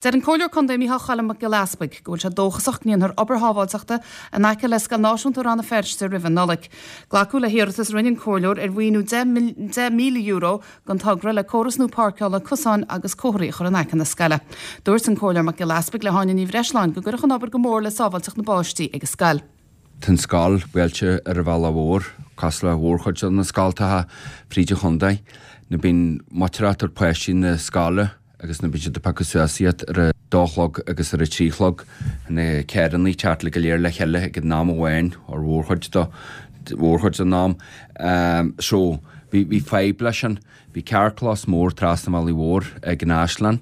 Deir an Comhairleoir Contae Micheál Choilm Mac Giolla Easpaig go bhfuil sé dóchasach go ndéanfar obair shábháilteachta in aice le Scoil Náisiúnta Rann na Feirste roimh an Nollaig. Glacadh le hiarratas a rinne an Comhairleoir ar mhaoiniú €10,000 don togra le córas nua páirceála, cosáin agus comharthaí a chur in aice na scoile. Dúirt an Comhairleoir Mac Giolla Easpaig le hÁine Ní Bhreisleáin go gcuirfeadh an obair go mór le sábháilteacht na bpáistí ag an scoil. Tá an scoil buailte ar an bhealach mhór, cosúil le mhórchuid de na scoltacha fríd an chontae. Nuair bíonn muintir ag tabhairt páistí na scoile agus nuair bíonn siad ag piocadh suas iad ar a dó a chlog agus ar a trí a chlog, na carrannaí ag teacht go léir le chéile ag an am amháin, or mhórchuid de, mhórchuid den am. So, bhí, bhí fadhb leis sin. Bhí carrchlós mór trasna an bhealaigh mhóir ag an Áislann.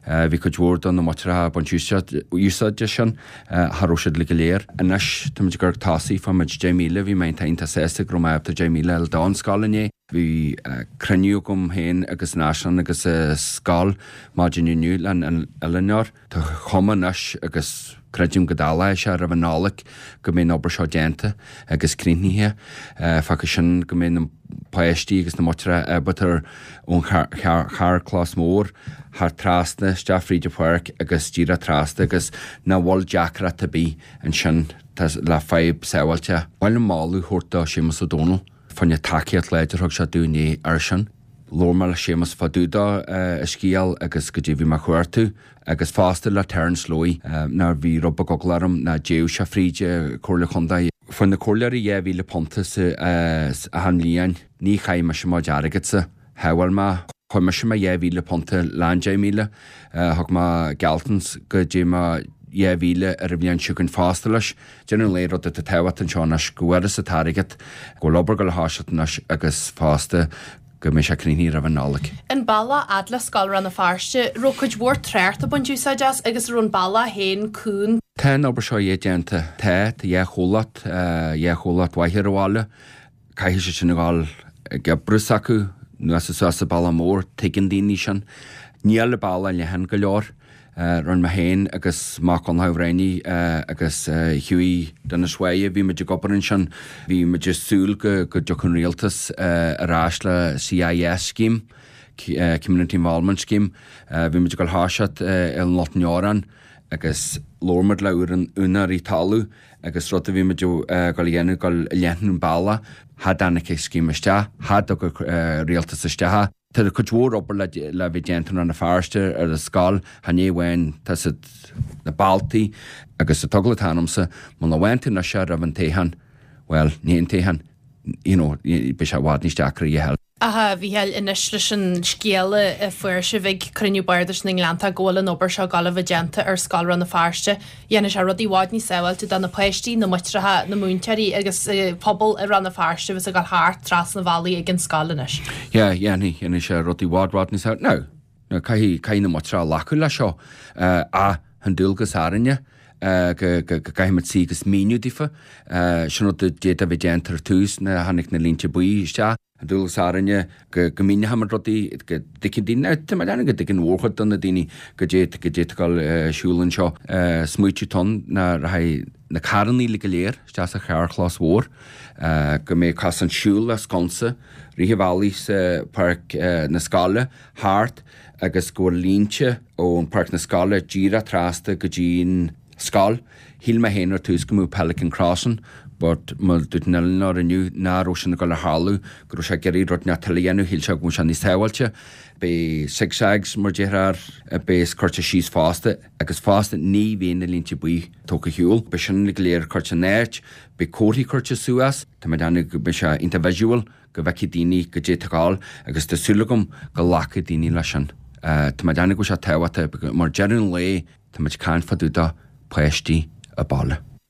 Bhí cuid mhór de na muintreacha ag baint úsáid as sin. Cha raibh siad go léir. Anois táimid ag gabháil tosaí, fuair muid 10,000, bhí mé iontach sásta go raibh mé ábalta 10,000 a fháil don scoil inné. Bhí cruinniú agam féin agus an Áislann agus an scoil maidin inniu le an oiliúnóir. Tá cuma anois agus creidim go dtarlóidh sé roimh an Nollaig go mbeidh an obair seo déanta agus críochnaithe. Fágfaidh sin go mbeidh na páistí agus na muintreacha ábalta ón charrchlós mór thar trasna isteach fríd an pháirc agus díreach trasna agus nach bhfuil deacracht ar bith ansin le fadhb sábháilteachta. Ba mhaith liom moladh a thabhairt do Séamus Ó Domhnaill fá choinne tacaíocht láidir a thug sé dúinn inné air sin. Labhair mé le Séamus fá dtaobh de a scéal agus goidé bhí mé a chuartú agus fosta le Terence Lowy ná bhí rud beag eagla orm nach dtéadh sé fríd Comhairle Chontae. Fuair na comhairleoirí £2,000 sa achan bhliain. Ní chaith mise mo chuid airgeadsa. Shábháil mé. Chuir mise mo £2,000 leis an 10,000. Thug mé gealltanas go dtéadh mo 2,000 ar an bhliain seo chugainn fosta leis. Deireadh an lae rud atá tábhachtach anseo anois go bhfuarthas an t-airgead, go bhfuil obair ag dul a thoiseacht anois agus fosta go mbeidh sé críochnaithe roimh an Nollaig. An bealach fhad le Scoil Rann na Feirste, raibh cuid mhór trácht ag baint úsáid as agus raibh an bealach féin cúng. Tá an obair seo déanta. Tá, tá dhá chomhlacht, dhá chomhlacht mhaithe ar an bhaile. Caithfidh siad sin a dhul ag oibriú s'acu anuas is suas an bealach mór, tuigeann daoine sin. Níl an bealach leathan go leor. Rinne mé féin agus Mac Donnchadha Bhréanainn agus Hughie Dennis Wye, bhí muid ag obair ansin, bhí muid ag súil go dtiocfadh an rialtas ar ais le CIS scheme, Community Involvement Scheme. Bhí muid ag dul thoiseacht i nGort an Deoráin agus labhair muid le úinéirí talamh agus rud a bhí muid ag dul a dhéanamh, dul a leathnú an bealach, cha dtáinig an scéim isteach, cha dtug an rialtas isteach. Tá cuid mhór obair le bheith déanta i Rann na Feirste ar an scoil, chan é amháin, tá siad, na bealtaí agus an t-eagla atá ionamsa, muna bhfaigheann tú anois é roimh an toghchán, bhuel, ní an toghchán, you know, beidh sé i bhfad níos deacra a fháil. Ach a Mhícheáil, anois leis an scéal a fuair sibh ag cruinniú Bardais na nGleanntach go bhfuil an obair seo ag dul a bheith déanta ar Scoil Rann na Feirste, dhéanfaidh sé rudaí i bhfad níos sábháilte do na páistí, na muintreacha, na múinteoirí agus pobal i Rann na Feirste a bheas ag dul thart trasna an bhealaigh ag an scoil anois. Yeah, dhéanfaidh, dhéanfaidh sé rudaí i bhfad, bhfad níos sábháilte. Now, now caithfidh, caithfidh na muintreacha glacadh leis seo. Ach tá an dualgas orainne go, go, go gcaithfimid suí agus míniú daofa. Sin rud a d'fhéadfadh a bheith déanta ar tús nuair a tháinig na línte buí isteach. Tá dualgas orainne go míneochaimid rudaí, go dtuigfidh daoine, tá mé ag déanamh go dtuigeann mhórchuid de na daoine goidé goidé atá ag dul ar siúl anseo. Smaoitiú atá ann ná rachaidh na carrannaí uilig go léir isteach sa charrchlós mhór, go mbeidh cosán siúil le sconsa rith an bhealaigh sa pháirc na scoile thart agus go bhfuil línte ón páirc na scoile díreach trasna go dtí'n scoil. Shíl mé féin ar tús go mbeadh Pelican Crossing but mar dúirt an oiliúnóir inniu ná raibh sin ag dul a tharlú, go raibh sé ag iarraidh rud inteacht eile a dhéanamh, shíl sé go mbeadh sé níos sábháilte. Beidh zig zags mar déarfá a bheas curtha síos fosta agus fosta ní bheidh na línte buí tógtha ar shiúl. Beidh sin go léir curtha in áit, beidh comharthaí curtha suas, tá mé ag déanamh go mbeidh sé iontach visual go bhfeicfidh daoine goidé atá ag dul agus tá súil agam go nglacfaidh daoine leis sin. Tá mé ag déanamh go bhfuil sé tábhachtach mar deireadh an lae, Tá muid ag caint fá dtaobh de páistí an bhaile.